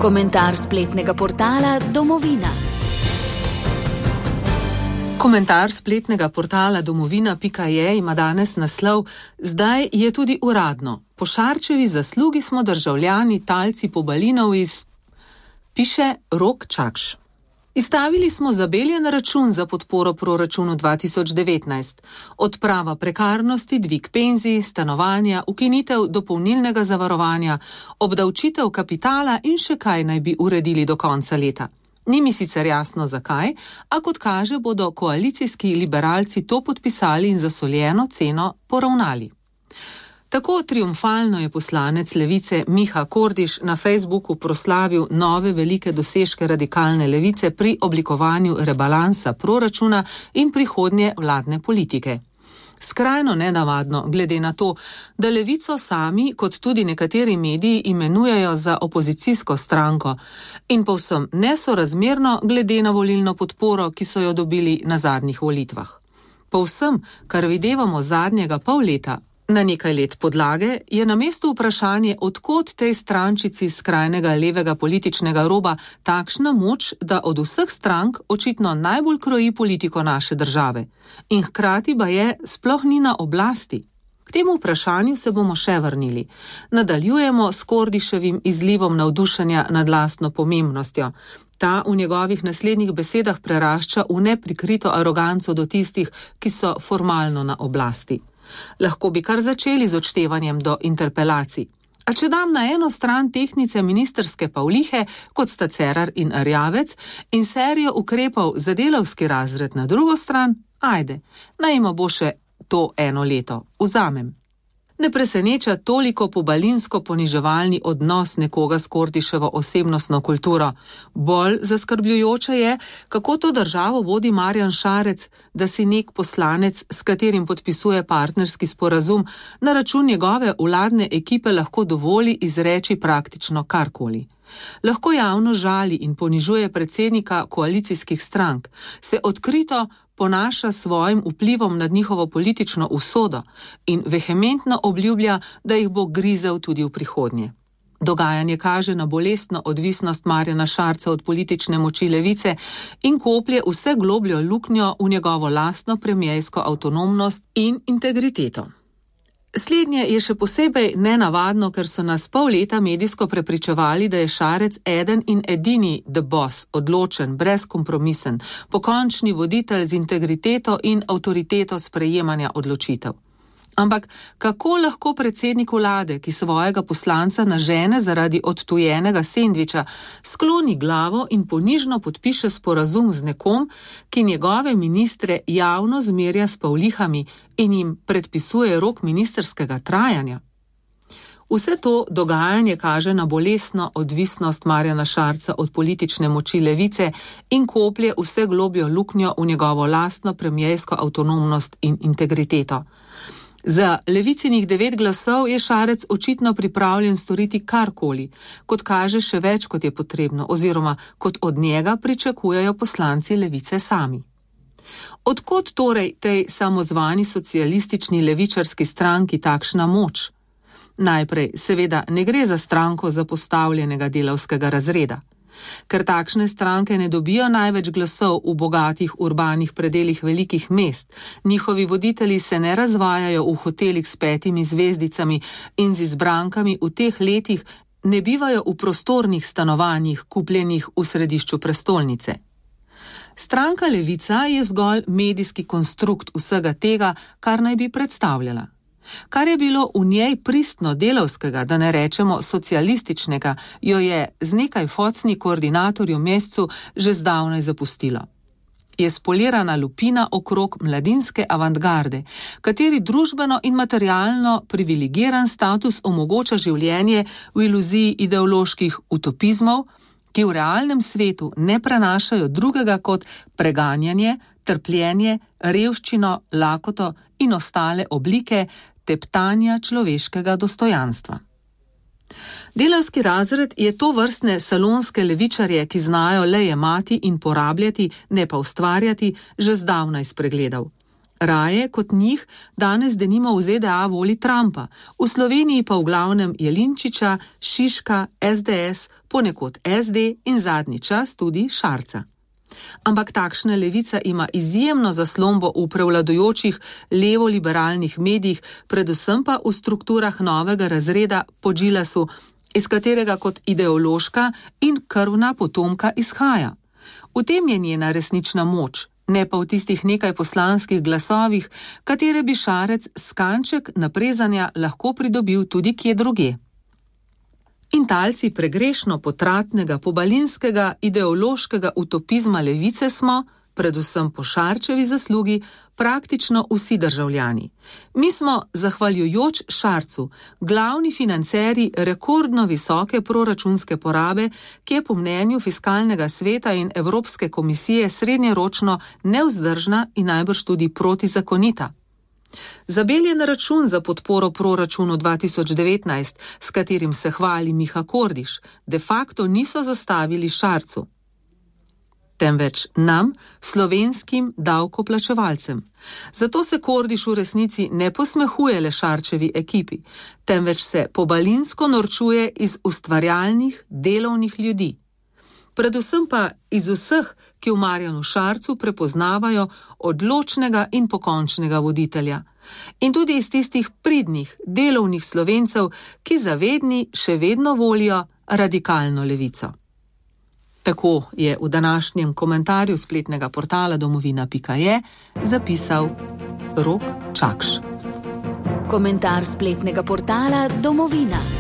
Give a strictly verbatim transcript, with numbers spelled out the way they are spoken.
Komentar spletnega portala Domovina. Komentar spletnega portala domovina pika je ima danes naslov: Zdaj je tudi uradno. Po Šarčevi zaslugi smo državljani talci pobalinov iz... Piše Rok Čakš. Izstavili smo zabeljen račun za podporo proračunu dva tisoč devetnajst. Odprava prekarnosti, dvig penzij, stanovanja, ukinitev dopolnilnega zavarovanja, obdavčitev kapitala in še kaj naj bi uredili do konca leta. Ni mi sicer jasno zakaj, a kot kaže, bodo koalicijski liberalci to podpisali in za soljeno ceno poravnali. Tako triumfalno je poslanec Levice Miha Kordiš na Facebooku proslavil nove velike dosežke radikalne levice pri oblikovanju rebalansa proračuna in prihodnje vladne politike. Skrajno nenavadno, glede na to, da Levico sami, kot tudi nekateri mediji, imenujejo za opozicijsko stranko in povsem nesorazmerno glede na volilno podporo, ki so jo dobili na zadnjih volitvah. Povsem, kar videvamo zadnjega pol leta, na nekaj let podlage, je na mestu vprašanje, odkot tej strančici skrajnega levega političnega roba takšna moč, da od vseh strank očitno najbolj kroji politiko naše države in hkrati ba je sploh ni na oblasti. K temu vprašanju se bomo še vrnili. Nadaljujemo s Kordiševim izlivom navdušenja nad lastno pomembnostjo. Ta v njegovih naslednjih besedah prerašča v neprikrito aroganco do tistih, ki so formalno na oblasti. Lahko bi kar začeli z odštevanjem do interpelacij. A če dam na eno stran tehnice ministerske pavlihe, kot sta Cerar in Erjavec, in serijo ukrepov za delavski razred na drugo stran, ajde, naj ima bo še to eno leto, vzamem. Ne preseneča toliko pobalinsko poniževalni odnos nekoga s Kordiševo osebnostno kulturo. Bolj zaskrbljujoče je, kako to državo vodi Marjan Šarec, da si nek poslanec, s katerim podpisuje partnerski sporazum, na račun njegove vladne ekipe lahko dovoli izreči praktično karkoli. Lahko javno žali in ponižuje predsednika koalicijskih strank, se odkrito ponaša svojim vplivom nad njihovo politično usodo in vehementno obljublja, da jih bo grizel tudi v prihodnje. Dogajanje kaže na bolestno odvisnost Marjana Šarca od politične moči levice in koplje vse globljo luknjo v njegovo lastno premiersko avtonomnost in integriteto. Slednje je še posebej nenavadno, ker so nas pol leta medijsko prepričevali, da je Šarec eden in edini the boss, odločen, brezkompromisen, pokončni voditelj z integriteto in avtoriteto sprejemanja odločitev. Ampak kako lahko predsednik vlade, ki svojega poslanca nažene zaradi odtujenega sendviča, skloni glavo in ponižno podpiše sporazum z nekom, ki njegove ministre javno zmerja s pavlihami in jim predpisuje rok ministerskega trajanja? Vse to dogajanje kaže na bolestno odvisnost Marjana Šarca od politične moči levice in koplje vse globljo luknjo v njegovo lastno premiersko avtonomnost in integriteto. Za levicinih devet glasov je Šarec očitno pripravljen storiti karkoli, kot kaže še več, kot je potrebno, oziroma kot od njega pričakujejo poslanci levice sami. Odkot torej tej samozvani socialistični levičarski stranki takšna moč? Najprej, seveda, ne gre za stranko zapostavljenega delavskega razreda. Ker takšne stranke ne dobijo največ glasov v bogatih urbanih predelih velikih mest, njihovi voditelji se ne razvajajo v hotelih s petimi zvezdicami in z izbrankami v teh letih ne bivajo v prostornih stanovanjih, kupljenih v središču prestolnice. Stranka Levica je zgolj medijski konstrukt vsega tega, kar naj bi predstavljala. Kar je bilo v njej pristno delavskega, da ne rečemo socialističnega, jo je z nekaj focni koordinatorju mesecu že zdavnaj zapustilo. Je spolirana lupina okrog mladinske avantgarde, kateri družbeno in materialno privilegiran status omogoča življenje v iluziji ideoloških utopizmov, ki v realnem svetu ne prenašajo drugega kot preganjanje, trpljenje, revščino, lakoto in ostale oblike teptanja človeškega dostojanstva. Delavski razred je to vrstne salonske levičarje, ki znajo le jemati in porabljati, ne pa ustvarjati, že zdavnaj spregledal. Raje kot njih danes denimo v Z D A voli Trumpa, v Sloveniji pa v glavnem Jelinčiča, Šiška, S D S, ponekod es de in zadnji čas tudi Šarca. Ampak takšna levica ima izjemno zaslombo v prevladujočih levo-liberalnih medijih, predvsem pa v strukturah novega razreda po Gilasu, iz katerega kot ideološka in krvna potomka izhaja. V tem je njena resnična moč, ne pa v tistih nekaj poslanskih glasovih, katere bi Šarec s kanček naprezanja lahko pridobil tudi kje drugje. In talci pregrešno potratnega pobalinskega ideološkega utopizma levice smo, predvsem po Šarčevi zaslugi, praktično vsi državljani. Mi smo, zahvaljujoč Šarcu, glavni financerji rekordno visoke proračunske porabe, ki je po mnenju Fiskalnega sveta in Evropske komisije srednjeročno nevzdržna in najbrž tudi protizakonita. Zabeljen račun za podporo proračunu dva tisoč devetnajst, s katerim se hvali Miha Kordiš, de facto niso zastavili Šarcu, temveč nam, slovenskim davkoplačevalcem. Zato se Kordiš v resnici ne posmehuje le Šarčevi ekipi, temveč se pobalinsko norčuje iz ustvarjalnih, delovnih ljudi. Predvsem pa iz vseh, ki v Marjanu Šarcu prepoznavajo odločnega in pokončnega voditelja. In tudi iz tistih pridnih, delovnih Slovencev, ki zavedni še vedno volijo radikalno levico. Tako je v današnjem komentarju spletnega portala domovina pika je zapisal Rok Čakš. Komentar spletnega portala Domovina.